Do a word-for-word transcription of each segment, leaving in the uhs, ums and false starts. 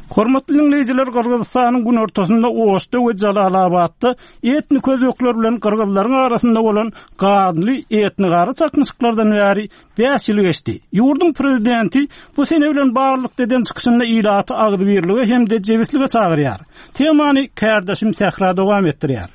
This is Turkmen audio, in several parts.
Hormatly diňleýjiler, Gyrgyzystanyň günortasynda Oşda we Jalalabatda etnik özbekler bilen gyrgyzlaryň arasynda bolan ganly etnigara çaknyşyklardan bäri bäş ýyl geçdi. Ýurduň prezidenti bu sene bilen baglylykda eden çykyşynda ilaty agzybirlige hem-de jebislige çagyrýar. Temany kärdeşim Sähra dowam etdirýär.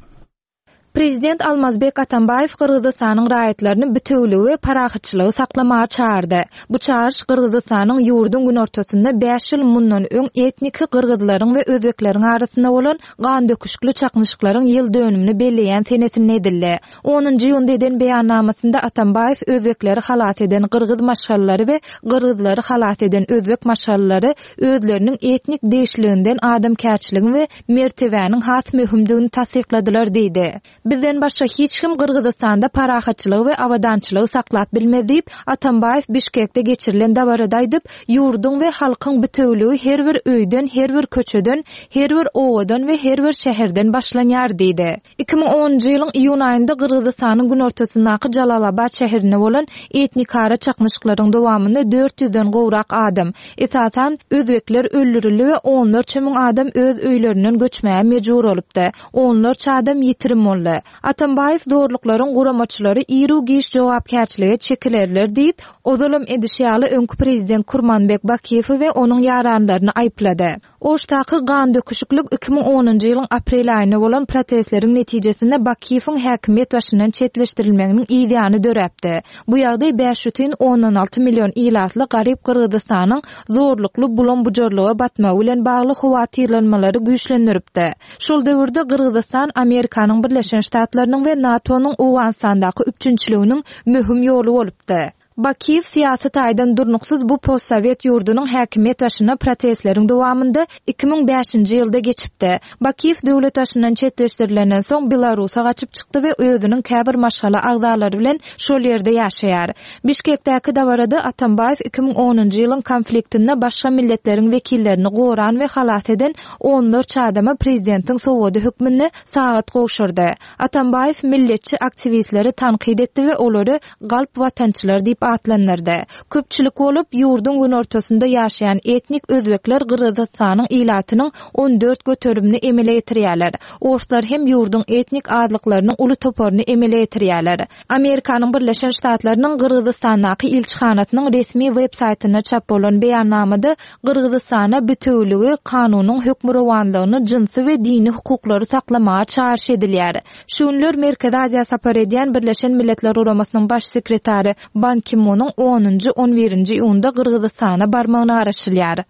Prezident Almazbek Atambaýew Gyrgyzystanyň raýatlaryny bitewüligi we parahatçylygy saklamaga çagyrdy. Bu çagyryş Gyrgyzystanyň ýurduň günortasynda bäş ýyl mundan öň etniki gyrgyzlaryň we özbekleriň arasynda bolan gandöküşikli çaknyşyklaryň ýyl dönümini belleýän senesinde edildi. Onunjy iýunda eden beýannamasynda Atambaýew özbekleri halas eden gyrgyz maşgalalary we gyrgyzlary halas eden özbek maşgalalary özleriniň etnik degişliginden adamkärçiligiň we mertebäniň has möhümdigini tassykladylar diýdi. Bizden başga hiç kim Gyrgyzystanda parahatçylygy we abadançylygy saklap bilmez diýip, Atambaýew Bişkekde geçirilen dabarada aýdyp, ýurduň we halkyň bitewüligi her bir öýden, her bir köçeden, her bir obadan we her bir şäherden başlanýar diýdi. Iki müň onunjy ýylyň iýun aýynda Gyrgyzystanyň günortasyndaky Jalalabat şäherinde bolan etnikara çaknyşyklaryň dowamynda dört ýüzden gowrak adam, esasan, özbekler öldürildi we onlarça müň adam öz öýlerinden göçmäge mejbur bolupdy. Onlarça adam ýitirim boldy. Atambaýew zorluklaryň guramaçylary iru-giç jogapkärçilige çekilerler diýip, ozalam edişi ýaly öňki prezident Kurmanbek Bakiýewi we onuň ýaranlaryny aýyplady. Oşdaky gan döküşiklik iki müň onunjy ýylyň aprel aýynda bolan protestleriň netijesinde Bakiýewiň häkimiýet başyndan çetleşdirilmeginiň yz ýany döräpdi. Bu ýagdaý bäş bütin ondan alty million ilatly garyp Gyrgyzystanyň zorlukly bulam-bujarlyga batmagy bilen bagly howatyrlanmalary güýçlendiripdi. Şol döwürde Gyrgyzystan Amerikanyň Birleşen Ştatlarynyň we NATO-nyň Owganystandaky üpjünçiliginiň möhüm ýoly bolupdy. Bakiýew syýasy taýdan durnuksyz bu postsowet ýurdunyň häkimiýet başyna protestleriň dowamynda iki müň bäşinji ýylda geçipdi. Bakiýew döwlet başyndan çetleşdirilenden soň Belarusa gaçyp çykdy we özüniň käbir maşgala agzalary bilen şol ýerde ýaşaýar. Bişkekdäki dabarada Atambaýew iki müň onunjy ýylyň konfliktinde başga milletleriň wekillerini goran we halas eden onlarça adama prezidentiň sowgady hökmünde sagat gowşurdy. Atambaýew milletçi aktiwistleri tankyt etdi we olary galp watançylar diýip atlandyrdy. Köpçülik bolup, ýurduň günortasynda ýaşaýan etnik özbekler Gyrgyzystanyň ilatynyň on dört göterimini emele getirýärler. Orslar hem ýurduň etnik azlyklarynyň uly toparyny emele getirýärler. Amerikanyň Birleşen Ştatlarynyň Gyrgyzystandaky ilçihanasynyň resmi web-saýtynda çap bolan beýannamada Gyrgyzystana bitewüligi, kanunyň hökmürowanlygyny, jynsy we dini hukuklary saklamaga çagyryş edilýär. Şu günler Merkezi Aziýa sapar edýän Birleşen Milletler Guramasynyň baş sekretary Ban Ki-munyň onunjy, on birinji iýunda Gyrgyzystana barmagyna garaşylýar.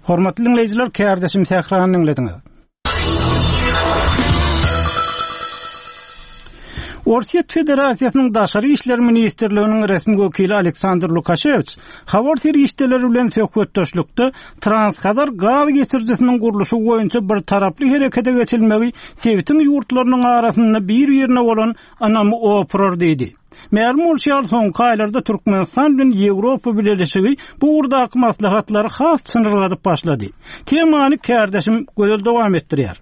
Hormatly diňleýjiler, kärdeşim Sährany diňlediňiz. Orsýet Federasiýasynyň Daşary işler ministrliginiň resmi wekili Aleksandr Lukaşewiç habar serişdeleri bilen söhbetdeşlikde Transhazar gaz geçirijisiniň gurluşy boýunça bir taraply herekete geçilmegi sebitiň ýurtlarynyň arasynda bir-birine bolan ynamy opurar diýdi. Mälim bolşy ýaly, soňky aýlarda Türkmenistan bilen Ýewropa Bileleşigi bu ugurdaky maslahatlary has çynyrgadyp başlady. Temany kärdeşim Gözel dowam etdirýär.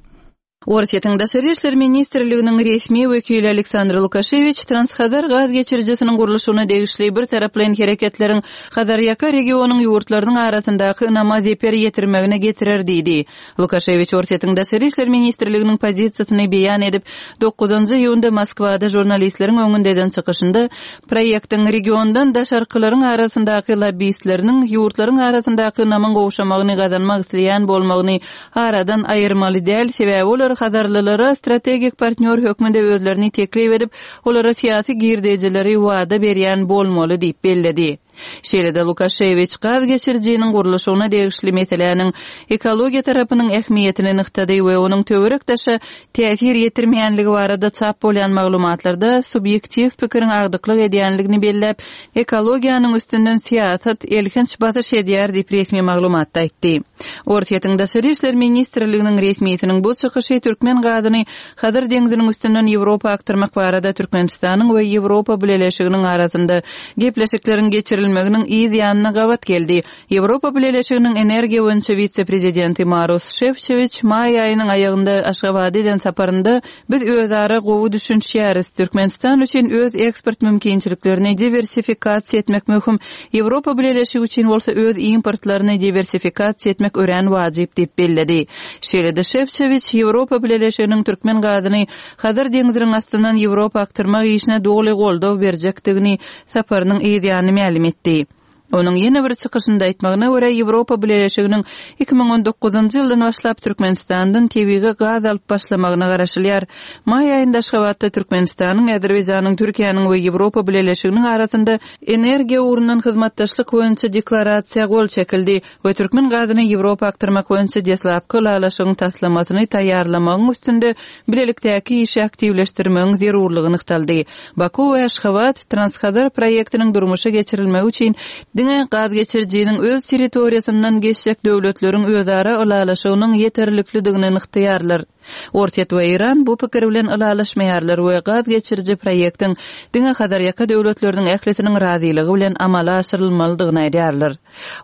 Orsýetiň Daşary işler ministrliginiň resmi wekili Aleksandr Lukaşewiç Transhazar gaz geçirijisiniň gurluşygyna degişli bir taraplaýyn hereketleriň Hazarýaka regionyň ýurtlarynyň arasyndaky ynama zeper ýetirmegine getirer diýdi. Lukaşewiç Orsýetiň Daşary işler ministrliginiň pozisiýasyny beýan edip, dokuzynjy iýunda Moskwada žurnalistleriň öňünde eden çykyşynda proýektiň regiondan daşarkylaryň arasyndaky lobistleriniň ýurtlaryň arasyndaky ynamyň gowşamagyny gazanmak isleýän bolmagyny aradan aýyrmaly däl, sebäbi olar Hazarlylara strategik partnýor hökmünde özlerini teklip edip, olara syýasy girdejileri wada berýän bolmaly diýip belledi. Şeýle-de Lukaşewiç gaz geçirijiniň gurluşygyna degişli meseläniň ekologiýa tarapynyň ähmiýetini nygtady we onuň töwerek daşa täsir ýetirmeýänligi barada çap bolýan maglumatlarda subýektiw pikiriň agdyklyk edýänligini belläp, ekologiýanyň üstünden syýasat elhenç basyş edýär diýip resmi maglumatda aýtdy. Orsýetiň Daşary işler ministrliginiň resmisiniň bu çykyşy türkmen gazyny Hazar deňziniň üstünden Ýewropa akdyrmak barada Türkmenistanyň we Ýewropa Bileleşiginiň arasynda gepleşikleriň geçirilmegine çekilmeginiň yz ýanyna gabat geldi. Ýewropa Bileleşiginiň energiýa boýunça wise-prezidenti Maros Şefçowiç maý aýynyň aýagynda Aşgabada eden saparynda biz özara gowy düşünişýäris. Türkmenistan üçin öz eksport mümkinçiliklerini diwersifikasiýa etmek möhüm. Ýewropa Bileleşigi üçin bolsa öz importlaryny diwersifikasiýa etmek örän wajyp diýip belledi. Şeýle-de Şefçowiç Ýewropa Bileleşiginiň türkmen gazyny Hazar deňziniň astyndan Ýewropa akdyrmak işine doly goldaw berjekdigini saparynyň yz ýanyny mälim etdi. Onuň ýene bir çykyşynda aýtmagyna görä Ýewropa Bileleşiginiň iki müň on dokuzynjy ýyldan başlap Türkmenistandan tebigy gaz alyp başlamagyna garaşylýar. Maý aýynda Aşgabatda Türkmenistanyň, Azerbaýjanyň, Türkiýäniň we Ýewropa Bileleşiginiň arasynda energiýa ugrundan hyzmatdaşlyk boýunça deklarasiýa gol çekildi we türkmen gazyny Ýewropa akdyrmak boýunça deslapky ylalaşygyň taslamasyny taýýarlamagyň üstünde bilelikdäki işi aktiwleşdirmegiň zerurlygy nygtaldy. Baku we Aşgabat Transhazar proýektiniň durmuşa geçirilmegi üçin diňe gaz geçirijiniň öz territoriýasyndan geçjek döwletleriň özara ylalaşygynyň ýeterliklidigini nygtaýarlar. Orsýet we Eýran bu pikir bilen ylalaşmaýarlar we gaz geçiriji proýektiň diňe Hazarýaka döwletleriniň ählisiniň razylygy bilen amala aşyrylmalydygyny aýdýarlar.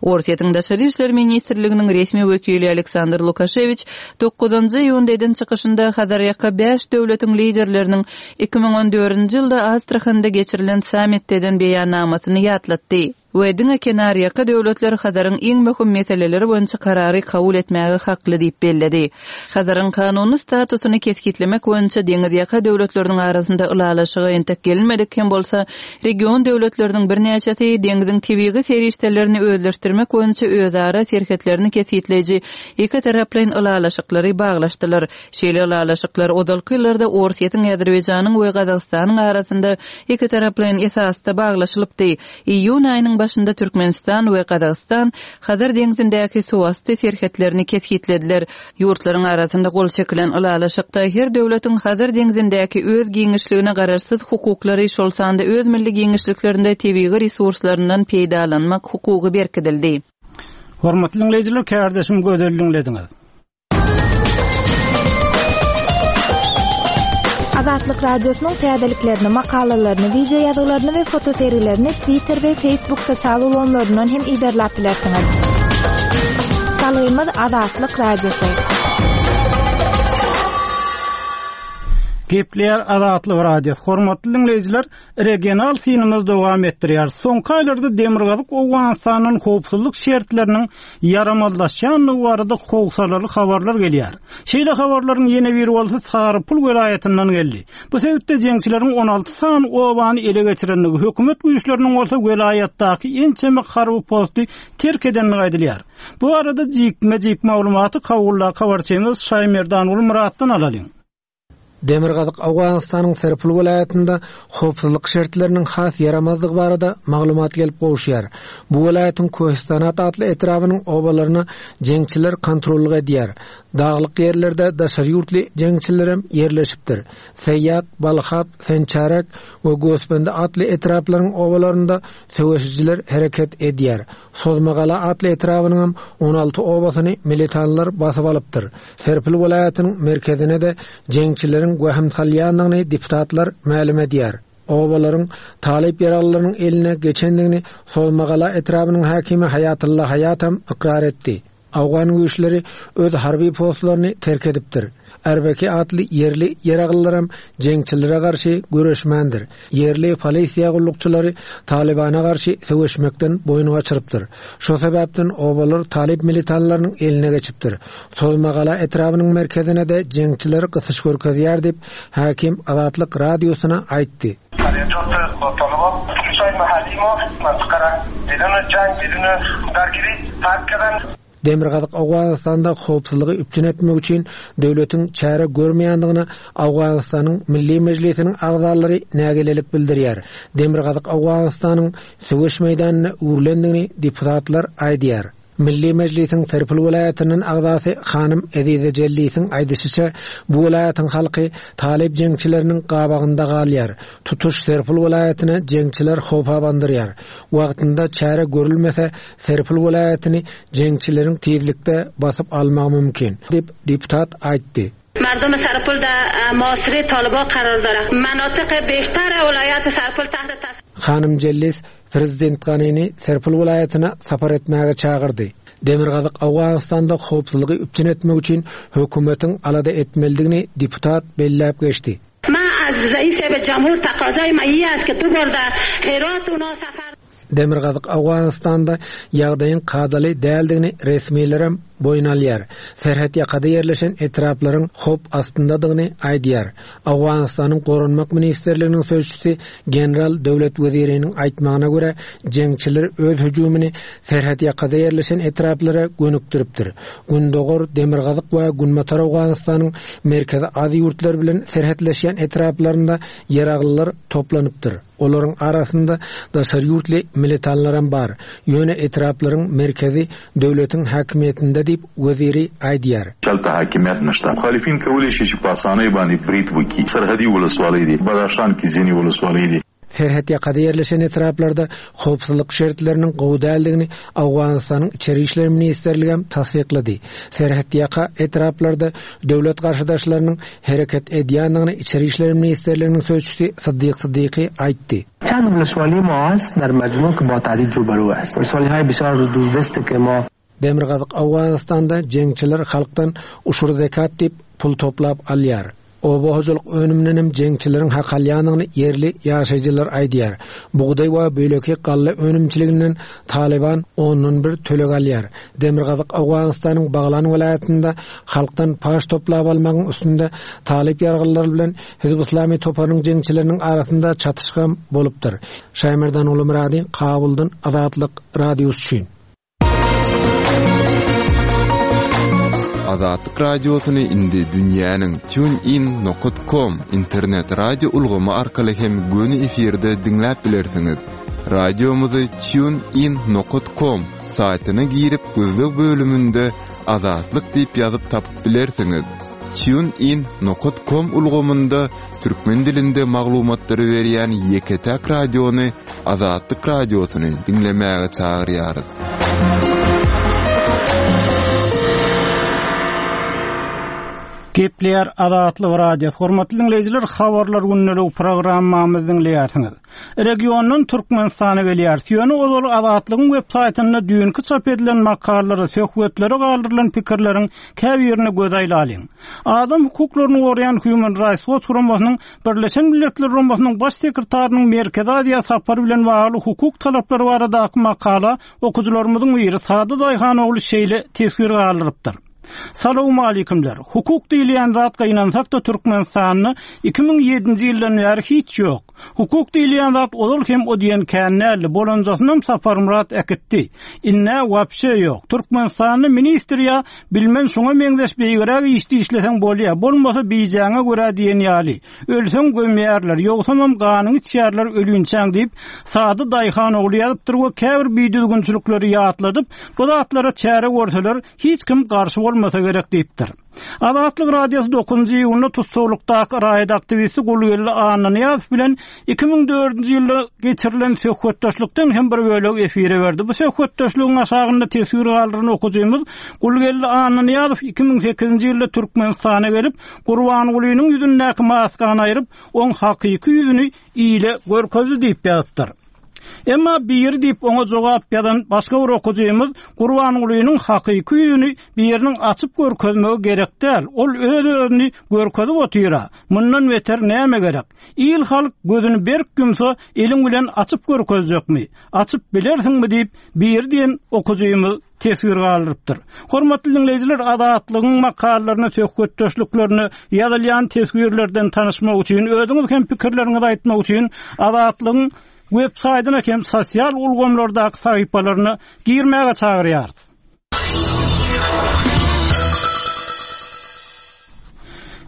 Orsýetiň Daşary işler ministrliginiň resmi wekili Aleksandr Lukaşewiç dokuzynjy iýunda eden çykyşynda Hazarýaka bäş döwletiň liderleriniň iki müň on dördünji ýylda Astraxanda geçirilen sammitde eden beýannamasyny ýatlatdy. We diňe kenarýaka döwletler Hazaryň iň möhüm meseleleri boýunça karary kabul etmäge hakly diýip belledi. Hazaryň kanuny statusyny kesgitlemek boýunça deňizýaka döwletleriniň arasynda ylalaşyga entek gelinmedik hem bolsa, region döwletleriniň birnäçesi deňziň tebigy serişdelerini özleşdirmek boýunça özara serhetlerini kesgitleýji iki taraplaýyn ylalaşyklary baglaşdylar. Şeýle ylalaşyklar ozalky ýyllarda Orsýetiň, Azerbaýjanyň we Gazagystanyň arasynda iki taraplaýyn esasda baglaşylypdy. Iýun aýynyň başynda Türkmenistan we Gazagystan Hazar deňzindäki suwasty serhetlerini kesgitlediler. Ýurtlaryň arasynda gol çekilen ylalaşykda her döwletiň Hazar deňzindäki öz giňişligine garaşsyz hukuklary, şol sanda öz milli giňişliklerinde tebigy resurslaryndan peýdalanmak hukugy berkidildi. Hormatly dinleýjiler, kärdeşim Gözel dinlediňiz. Azatlyk Radiosynyň täzeliklerini, makalalaryny, video ýazgylaryny we fotosergilerini Twitter we Facebook sosial ulgamlaryndan hem iderläp bilersiňiz. Salgymyz Azatlyk Radiosy. Gepleýär Azatlyk Radiosy. Hormatly dinleýjiler, regional synymyz dowam etdirýär. Soňky aýlarda Demirgazyk Owganystanyň howpsuzlyk şertleriniň ýaramazlaşýandygy barada howsalaly habarlar gelýär. Şeýle habarlaryň ýene biri bolsa Sarypul welaýatyndan geldi. Bu sebitde jeňçileriň on alty sany obany ele geçirendigi, hökümet güýçleriniň bolsa welaýatdaky ençeme harby posty terk edendigi aýdylýar. Bu arada jikme-jik maglumaty Kawulla habarçymyz Şaýmerdan Muratdan alalyň. Demirgazyk Owganystanyň Serpil welaýatynda howpsuzlyk şertleriniň has ýaramazlygy barada maglumat gelip gowuşýar. Bu welaýatyň Köhistanat atly etrabynyň obalaryna jeňçiler kontrollyk edýär. Daglyk ýerlerde daşary ýurtly jeňçilerem ýerleşipdir. Seýýat, Balhap, Sençarek we Gösbendi atly etraplaryň obalarynda söweşijiler hereket edýär. Sozmagala atly etrabynyň on alty obasyny militanlar basyp alypdyr. Serpil welaýatynyň merkezine de jeňçileriň wahim salýandygyny deputatlar mälim edýär. Obalaryň talyp ýaralylarynyň eline geçendigini Sozmagala etrabynyň hakimi Haýatullah Haýatam ykrar etdi. Awgan güýçleri öz harby postlaryny terk edipdir. Erbeki atly ýerli ýaralylaram jeňçilere garşy göreşmändir. Ýerli polisiýa gullukçylary Talibana garşy söweşmekden boýun gaçyrypdyr. Şo sebäpden obalar talyp militanlarynyň eline geçipdir. Sozmagala etrabynyň merkezine de jeňçiler gysyş görkezýär diýip hakim Azatlyk radiosyna aýtdy. Demirgazyk Owganystanda howpsuzlygy üpjün etmek üçin döwletiň çäre görmeýändigini Owganystanyň Milli Mejlisiniň agzalary nägilelik bildirýär. Demirgazyk Owganystanyň söweş meýdanyna öwrülendigini deputatlar aýdýar. Milli Mejlisiň Serpil welaýatynyň agzasy Hanym Ezize Jellisiň aýdyşyça bu welaýatyň halky talyp jeňçileriniň gabagynda galýar. Tutuş Serpil welaýatyna jeňçiler howpa bandyrýar. Wagtynda çäre görülmese Serpil welaýatyny jeňçileriň tizlikde basyp almagy mümkin diýip deputat aýtdy. مردم سرپل در معاصره طالبا قرار داره. مناطق بیشتر ولایت سرپل تحت تاثیر Hanym Jellis Prezident Ganini Serpil welaýatyna sapar etmäge çagyrdy. Demirgazyk Owganystanda howpsuzlygy üpjün etmek üçin hökümetiň alada etmelidigini deputat belläp geçdi. Ma az reis cumhur taqazay ma iyas ki du borda Herat ona safar Demirgazyk Owganystanda ýagdaýyň kadaly däldigini resmilerem boýun alýar. Serhet ýakada ýerleşen etraplaryň howp astyndadygyny aýdýar. Owganystanyň Goranmak ministrliginiň sözçüsi General Döwlet Weziriniň aýtmagyna görä, jeňçiler öz hüjümini serhet ýakada ýerleşen etraplara gönükdiripdir. Gündogar, Demirgazyk we Günbatar Owganystanyň Merkezi Aziýa ýurtlary bilen serhetleşýän etraplarynda ýaraglylar toplanypdyr. Olaryň arasynda daşary ýurtly militanlaram bar. Ýöne etraplaryň merkezi döwletiň hakimiýetinde diýip weziri aýdýar. چلته حاکمیت نشته. مخالفین کولی شي چې په اسانۍ باندې برید وکړي. سرحدي ولسوالۍ دي، بدخشان کې ځینې ولسوالۍ دي. Serhet ýakada ýerleşen etraplarda howpsuzlyk şertleriniň gowy däldigini Owganystanyň Içeri işler ministrligi hem tassyklady. Serhet ýaka etraplarda döwlet garşydaşlarynyň hereket edýändigini Içeri işler ministrliginiň sözçüsi Sıddyk Sıddyky aýtdy. چند ولسوالی ما هست در مجموع که با تهدید روبرو است. ولسوالی های بسیار دوردست که ما Demirgazyk Owganystanda jeňçiler halkdan uşur zekat diýip pul toplap alýar. Oba hojalyk önüminiň jeňçileriň hak alýanyny ýerli ýaşaýjylar aýdýar. Bugdaý we böleki galla önümçiliginden Taliban ondan bir töleg alýar. Demirgazyk Owganystanyň Baglan welaýatynda halkdan paş toplap almagyň üstünde Talip ýargylary bilen Hizb Islami toparynyň jeňçileriniň arasynda çatyşma bolupdyr. Şaýmerdan Ulumyrady, Kabuldan Azatlyk Radiosy üçin. Azatlyk Radiosyny indi dünýäniň tunein nokta com internet radio ulgamy arkaly hem göni efirde diňläp bilersiňiz. Radiomyzy tunein nokta com saýtyna girip gözleg bölüminde Azatlyk diýip ýazyp tapyp bilersiňiz. tunein nokta com ulgamynda türkmen dilinde maglumatlary berýän ýeke-täk radiony Azatlyk Radiosyny diňlemäge çagyrýarys. Gepleýär Azatlyk Radiosy. Hormatly dinleýjiler, habarlar gündelik programmamyzy diňleýärsiňiz. Regiondan Türkmenistana gelýär. Ýöne ozal Azatlygyň web saýtynda düýnki çap edilen makalalara, söhbetlere galdyrylan pikirleriň käbirine göz aýlalyň. Adam hukuklaryny goraýan Human Rights Watch guramasynyň Birleşen Milletler Guramasynyň baş sekretarynyň Merkezi Aziýa sapary bilen bagly hukuk talaplary baradaky makala okujylarymyzyň biri Sady Daýhanogly şeýle teswir galdyrypdyr. Salam aleykümler. Hukuk diýilýän zat gaýnansak da Türkmenistanda iki müň ýedinji ýyldan bäri hiç ýok. Hukuk diýilýän zat ozal hem o diýen känlerli bolanjasynam Saparmyrat äkitdi. Inne wapşe ýok. Türkmenistanda ministr ýa bilmen şoňa meňzeş beýgiräk işdi işleseň bolýar. Bolmasa biýjäňe görä diýen ýaly. Ölseň gömýärler, ýogsamam ganyňy içýärler ölünçäň diýip Sady Daýhanogly ýazypdyr we käbir biýdüzgünçilikleri ýatladyp, bu zatlara çäre görseler hiç kim garşy bolmasa gerek diýipdir. Azatlyk Radiosy dokuzynjy iýunda tussaglyk raýat aktiwisti Gulgeldi Annanyýazow bilen iki müň dördünji ýylda geçirilen söhbetdeşlikden hem bir bölek efire berdi. Bu söhbetdeşligiň aşagynda teswir galdyran okujymyz Gulgeldi Annanyýazow iki müň sekizinji ýylda Türkmenistana gelip Gurbangulynyň ýüzündäki maskany aýryp, oň hakyky ýüzüni ile görkezdi diýip ýazypdyr. Emma bir diýip oňa jogap ýazan başga bir okujymyz Gurbangulynyň hakyky ýüzüni biriniň açyp görkezmegi gerek däl. Ol öz-özüni görkezip otyra. Mundan beter näme gerek? Il halk gözüni berk ýumsa, eliň bilen açyp görkezjekmi? Açyp bilersiňmi diýip bir diýen okujymyz teswir galdyrypdyr. Hormatly dinleýjiler, Azatlygyň makalalaryny, söhbetdeşliklerini, ýazylýan teswirlerden tanyşmak üçin, özüňiz hem pikirleriňizi aýtmak üçin Azatlygyň web saýtyna hem sosial ulgamlardaky sahypalaryna girmäge çagyrýarys.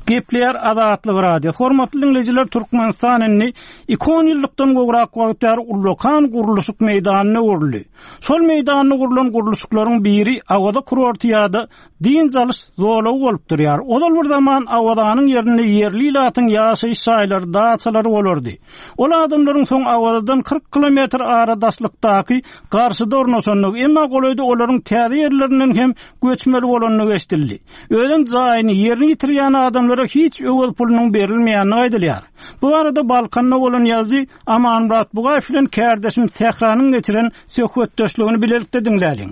Gepleýär Azatlyk Radiosy. Hormatly dinleýjiler, Türkmenistan indi iki on ýyllykdan gowrak wagt bäri ullakan gurluşyk meýdanyna öwrüldi. Şol meýdanyna gurlan gurluşyklaryň biri Awaza kurorty ýa-da dynç alyş zolagy bolup durýar. Ozal bir zaman Awazanyň ýerinde ýerli ilatyň ýaşaýyş jaýlary, daçalary bolardy. Ol adamlaryň soň Awazadan kyrk kilometr aradaşlykdaky garşyda ornaşandygy, emma golaýda olaryň täze ýerlerinden hem göçmeli bolandygy eşidildi. Özem jaýyny, ýerini ýitirýän adamlar göçürilenlere hiç öwez pulunyň berilmeýänini aýdylýar. Bu arada Balkanda bolan ýazyjy Amanmyrat Bugaýew bilen kärdeşim Sähranyň geçiren söhbetdeşligini bilelikde diňläliň.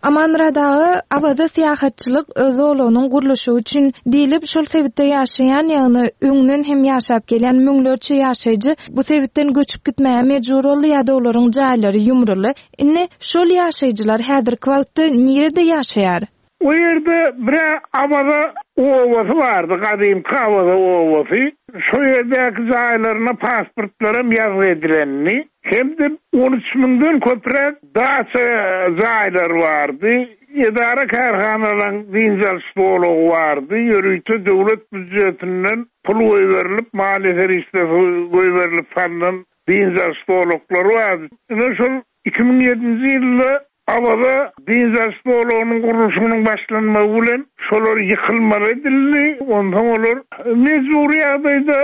Amanmyrat aga, Awaza syýahatçylyk zolagynyň gurluşy üçin diýlip şol sebitde ýaşaýan, ýagny öňden hem ýaşap gelýän müňlerçe ýaşaýjy bu sebitden göçüp gitmäge mejbur boldy ýa-da olaryň jaýlary ýumruldy. Indi şol ýaşaýjylar häzirki wagtda nirede ýaşaýar? O ýerde bir Awaza obasy bardy, gadymky Awaza obasy. Şo ýerdäki jaýlaryna pasportlaram ýazgy edilendi. Hem-de on üç müňden köpräk daça jaýlar bardy. Edara kärhanalaryň dynç alyş zolagy bardy. Ýörite döwlet býujetinden pul goýberilip, maliýe serişdesi goýberilip salynan dynç alyş zolaklary bardy. Ine şol iki müň ýedinji ýylda Awaza dynç alyş zolagynyň gurluşygynyň başlanmagy bilen şolar ýykylmaly edildi. Onsoň olar mejbury ýagdaýda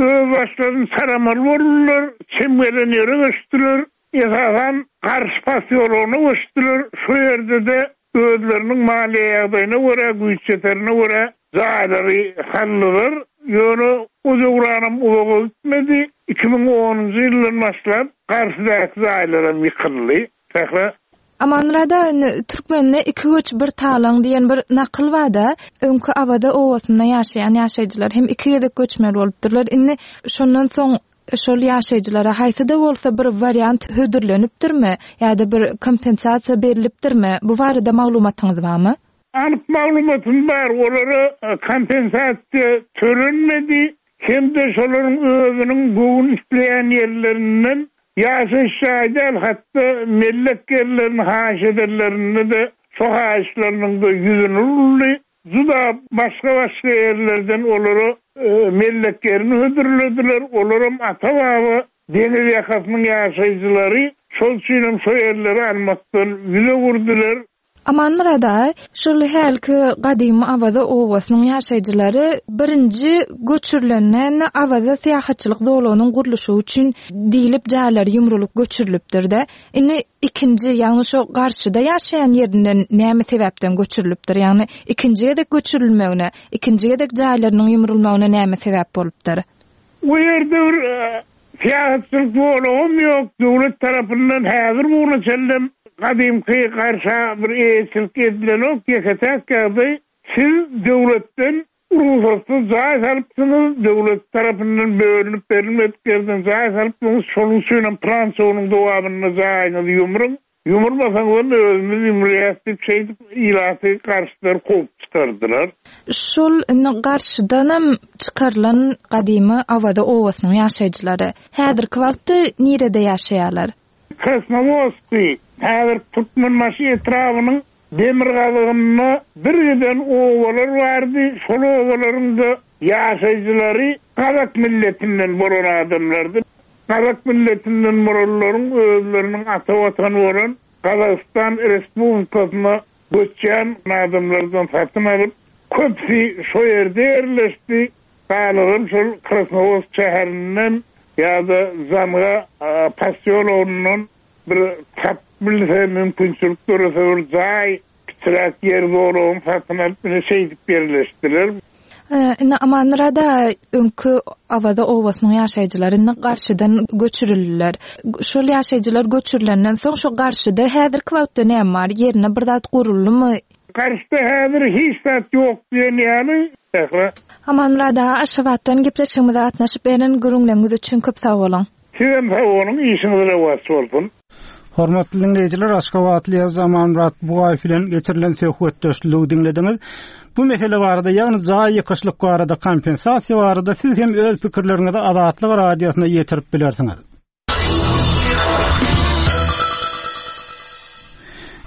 öz başlaryny saramaly boldular, çem gelen ýere göçdüler. Esasan Garş posýologyna göçdüler. Şu ýerde-de özleriniň maliýe ýagdaýyna görä, güýç ýeterine görä jaýlary saldylar. Ýöne o döwranam uzaga gitmedi. Iki müň onunjy ýyldan başlap Garşydaky jaýlaram ýykyldy. Sähra. Amanmyrat aga, indi Türkmende iki göç bir talaň diýen bir nakyl bar-da, öňki Awaza obasynda ýaşaýan ýaşaýjylar hem iki gezek göçmeli bolupdyrlar. Indi şondan soň şol ýaşaýjylara haýsy-da bolsa bir wariant hödürlenipdirmi ýa-da bir kompensasiýa berilipdirmi? Bu barada maglumatyňyz barmy? Anyk maglumatym bar, olara kompensasiýa tölenmedi, hem-de şolaryň özüniň göwün isleýän ýerlerinden ýaşaýyş jaýy däl, hatda mellek ýerlerini haýyş edenlerinde de şo haýyşlarynyň da ýüzüni uruldy. Juda başga-başga ýerlerden olara, e, mellek ýerini hödürlediler. Olaram ata-baba deňiz ýakasynyň ýaşaýjylary şol üçinem şo ýerleri almakdan ýüze urdular. Amanmyrat aga, şol hälki gadymy Awaza obasynyň ýaşaýjylary birinji göçürilenden Awaza syýahatçylyk zolagynyň gurluşy üçin diýlip jaýlary ýumrulyp göçürilipdir-de. Indi ikinji, ýagny şo garşyda ýaşaýan ýerinden näme sebäpden göçürilipdir? Ýagny ikinji gezek göçürilmegine, ikinji gezek jaýlarynyň ýumrulmagyna näme sebäp bolupdyr? Bu ýerde bir, e, syýahatçylyk zolagym ýok. Döwlet tarapyndan häzir buna çenlem gadymky garşa bir eýeçilik edilenok, ýeke-täk ýagdaý siz döwletden rugsatsyz jaý salypsyňyz, döwlet tarapyndan bölünip berilmedik ýerden jaý salypsyňyz, şonuň üçin hem plan-çogunyň dowamynda jaýyňyzy ýumruň, ýumurmasaňyz hem özümiz ýumurýas diýip şeýdip ilaty garşylar kowup çykardylar. Şol indi garşydanam çykarylan gadymy Awaza obasynyň ýaşaýjylary häzirki wagtda nirede ýaşaýarlar? Krasnowodskiý, häzir Türkmenbaşy etrabynyň demirgazygynda bir giden obalar bardy. Şol obalaryň da ýaşaýjylary Gazak milletinden bolan adamlardy. Gazak milletinden bolanlaryň özleriniň ata watany bolan Gazagystan Respublikasyna göçýän adamlardan satyn alyp, köpüsi şo ýerde ýerleşdi. Galanam şol Krasnowodsk şäherinden ýa-da Zamga, a, posýologyndan bir tap bilse mümkinçilik dörese bir jaý, kiçiräk ýer zolagyny satyn alyp, ine şeýdip ýerleşdiler. Ee, indi Amanmyrat aga, öňki Awaza obasynyň ýaşaýjylary indi garşydan göçürildiler. Şol ýaşaýjylar göçürilenden soň şo garşyda häzirki wagtda näme bar? Ýerine bir zat guruldymy? Garşyda häzir hiç zat ýok diýen ýaly. Sähra. Amanmyrat aga, Aşgabatdan gepleşigimize gatnaşyp beren gürrüňleriňiz üçin köp sag boluň. Sizem sag boluň, işiňiz rowaç bolsun. Hormatly dinleýjiler, Aşgabatly ýazyjy Amanmyrat Bugaýew bilen geçirilen söhbetdeşligi diňlediňiz. Bu mesele barada, ýagny jaý ýykyşlyk barada, kompensasiýa barada siz hem öz pikirleriňizi Azatlyk radiosyna ýetirip bilersiňiz.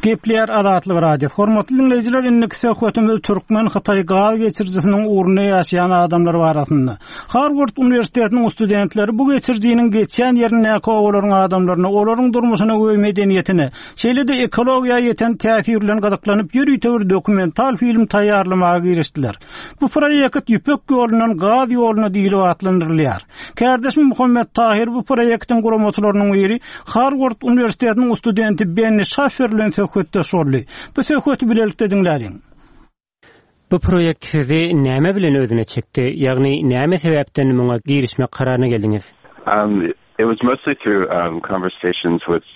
Gepleýär Azatlyk radiosy. Hormatly dinleýjiler, indiki söhbetimiz Türkmen-Hytaý gaz geçirijisiniň ugrunda ýaşaýan adamlar barasynda. Harvard Uniwersitetiniň studentleri bu geçirijiniň geçýän ýerindäki obalaryň adamlaryna, olaryň durmuşyna we medeniýetine, şeýle-de ekologiýa ýeten täsir bilen gyzyklanyp ýörite bir dokumental film taýýarlamaga girişdiler. Bu proýekt Ýüpek ýolundan gaz ýoluna diýlip atlandyrylýar. Kärdeşim Muhammet Tahir bu proýektiň guramaçylarynyň biri Harvard Uniwersitetiniň studenti Benni Şaffer bilen söhbetdeş boldy. Bu söhbeti bilelikde diňläliň. Bu proýekt sizi näme bilen özüne çekdi? Ýagny näme sebäpden muňa girişmek kararyna geldiňiz? Um, it was mostly through um, conversations with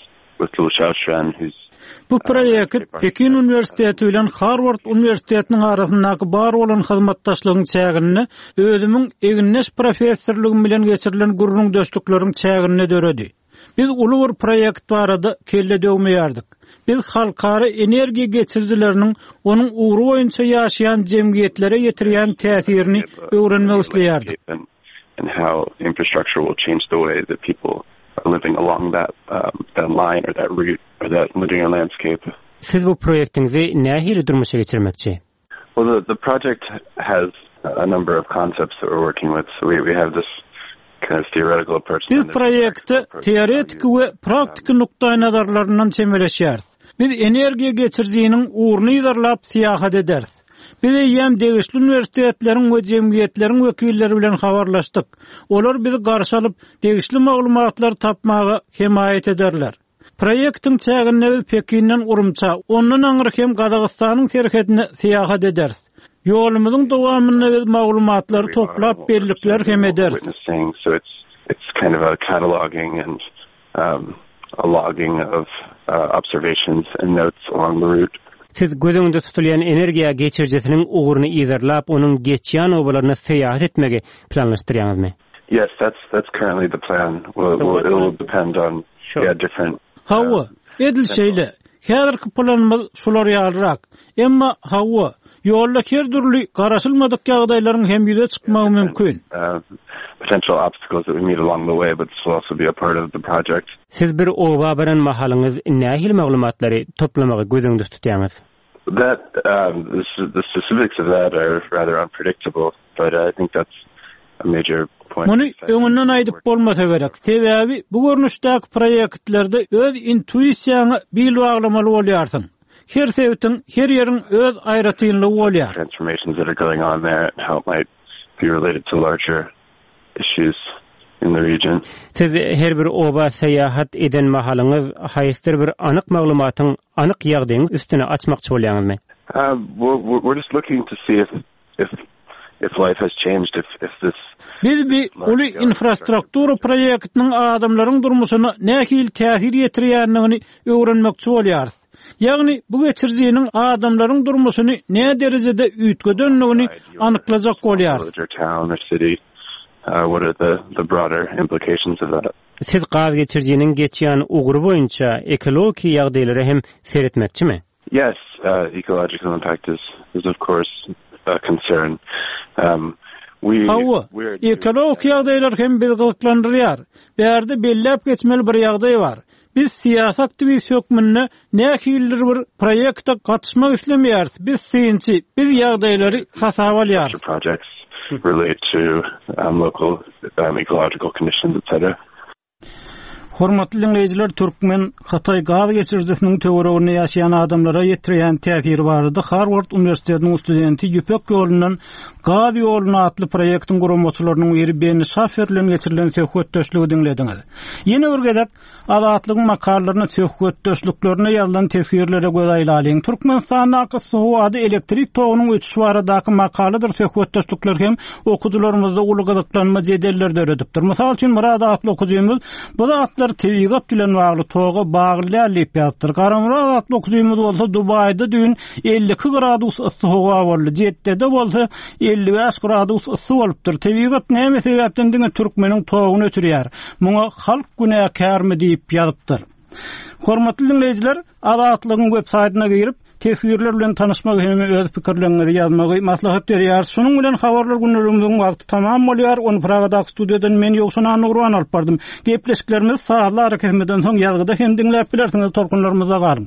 with Lu Xiaoxuan, who's Bu proýekt Pekin Uniwersiteti bilen Harvard Uniwersitetiniň arasyndaky bar bolan hyzmatdaşlygyň çäginde özümiň egindeş professorlygym bilen geçirilen gürrüňdeşlikleriň çäginde döredi. Biz uly bir proýekt barada kelle döwmeýärdik. Biz halkara energiýa geçirijileriniň onuň ugry boýunça ýaşaýan jemgyýetlere ýetirýän täsirini öwrenmek isleýärdik. and, and how infrastructure will change the way that people are living along that um, that line or that route or that linear landscape. Siz bu proýektiňizi nähili durmuşa geçirmekçi? Well, the, the project has a number of concepts that we're working with. So we, we have this kind of theoretical approach. Biz proýekte teoretiki we praktiki nukdaý nazarlaryndan çemeleşýäris. Biz energiýa geçirijiniň ugruny yzarlap syýahat ederis. Biz eýýäm degişli uniwersitetleriň we jemgyýetleriň wekilleri bilen habarlaşdyk. Olar bizi garşy alyp, degişli maglumatlary tapmaga hemaýat ederler. Proýektiň çäginde biz Pekinden Urumça, ondan aňry hem Gazagystanyň serhedine syýahat ederis. Ýolumyzyň dowamynda biz maglumatlary toplap bellikler hem ederis. Witnessing, so it's it's kind of a cataloging and um, a logging of uh, observations and notes along the route. Siz göz öňünde tutulýan energiýa geçirijisiniň ugruny yzarlap, onuň geçýän obalaryna syýahat etmegi planlaşdyrýaňyzmy? Yes, that's that's currently the plan. Well, it will, it will depend on yeah different. Hawa, edil şeýle. Häzirki planymyz şular ýalyrak. Emma hawa, ýolda her dürli garaşylmadyk ýagdaýlaryň hem ýüze çykmagy mümkin. Uh, potential obstacles that we meet along the way, but this will also be a part of the project. Siz bir oba baran mahalyňyz nähili maglumatlary toplamagy göz öňünde tutýaňyz? That um, the, the specifics of that are rather unpredictable, but I think that's a major point. Muny öňünden aýdyp bolmasa gerek. Sebäbi bu görnüşdäki proýektlerde öz intuisiýaňa bil baglamaly bolýarsyň. Her sebitiň, her ýeriň öz aýratynlygy bolýar. Transformations that are going on there and how it might be related to larger issues in the region. Siz her bir oba syýahat eden mahalyňyz haýsydyr bir anyk maglumatyň, anyk ýagdaýyň üstüne açmakçy bolýaňyzmy? Uh, we're, we're just looking to see if if if life has changed, if if this Biz bir uly infrastruktura proýektiniň adamlaryň durmuşyna nähili täsir ýetirýändigini öwrenmekçi bolýarys. Ýagny bu geçirijiniň adamlaryň durmuşyny näme derejede üýtgedendigini anyklajak bolýarys. village or town or city, uh, what are the the broader implications of that? Siz gaz geçirijiniň geçýän ugry boýunça ekologik ýagdaýlara hem seretmekçimi? Yes, uh, ecological impact is is of course a concern. Um, we Hawa, ekologik ýagdaýlar hem bizi gyzyklandyrýar. Bärde belläp geçmeli bir ýagdaý bar. Biz syýasy aktiwist hökmünde nähilidir bir proýekte gatnaşmak islemeýäris. Biz synçy, biz ýagdaýlary hasaba alýarys. projects relate to um, local um, ecological conditions, et cetera. Hormatly dinleýjiler, Türkmen Hytaý gaz geçirijisiniň töwereginde ýaşaýan adamlara ýetirýän täsiri barada Harvard Uniwersitetiniň studenti Ýüpek ýolundan gaz ýoluna atly proýektiň guramaçylarynyň biri Ben Şafer bilen geçirilen söhbetdeşligi diňlediňiz. Ýene bir gezek Azatlygyň makalalaryna söhbetdeşliklerine ýazylan teswirlere göz aýlalyň. Türkmenistandaky howada elektrik togunyň öçüşi baradaky makaladyr söhbetdeşlikler hem okyjylarymyzda uly gyzyklanma jedeller döredipdir. Mysal üçin Murad atly okyjymyz bu zatlar tebigat bilen bagly toga bagly däl diýip ýazypdyr. Garamurad atly okyjymyz bolsa Dubaýda düýn elli iki gradus yssy howa boldy. Jeddede bolsa elli bäş gradus yssy bolupdyr. Tebigat näme sebäpden diňe türkmeniň toguny öçürýär? Muňa halk günäkärmi diýip ýazypdyr. Hormatly dinleýjiler, Azatlygyň web saýtyna girip, teswirler bilen tanyşmagy hem öz pikirleriňizi ýazmagy maslahat berýär. Şunuň bilen habarlar günlerimiziň wagty tamam bolýar. Ony Pragadaky studiýadan men Ýowşan Annagurban alyp bardym. Gepleşiklerimiz sazly arakesmeden soň ýazgyda hem diňläp bilersiňiz. Tolkunlarymyzda galyň.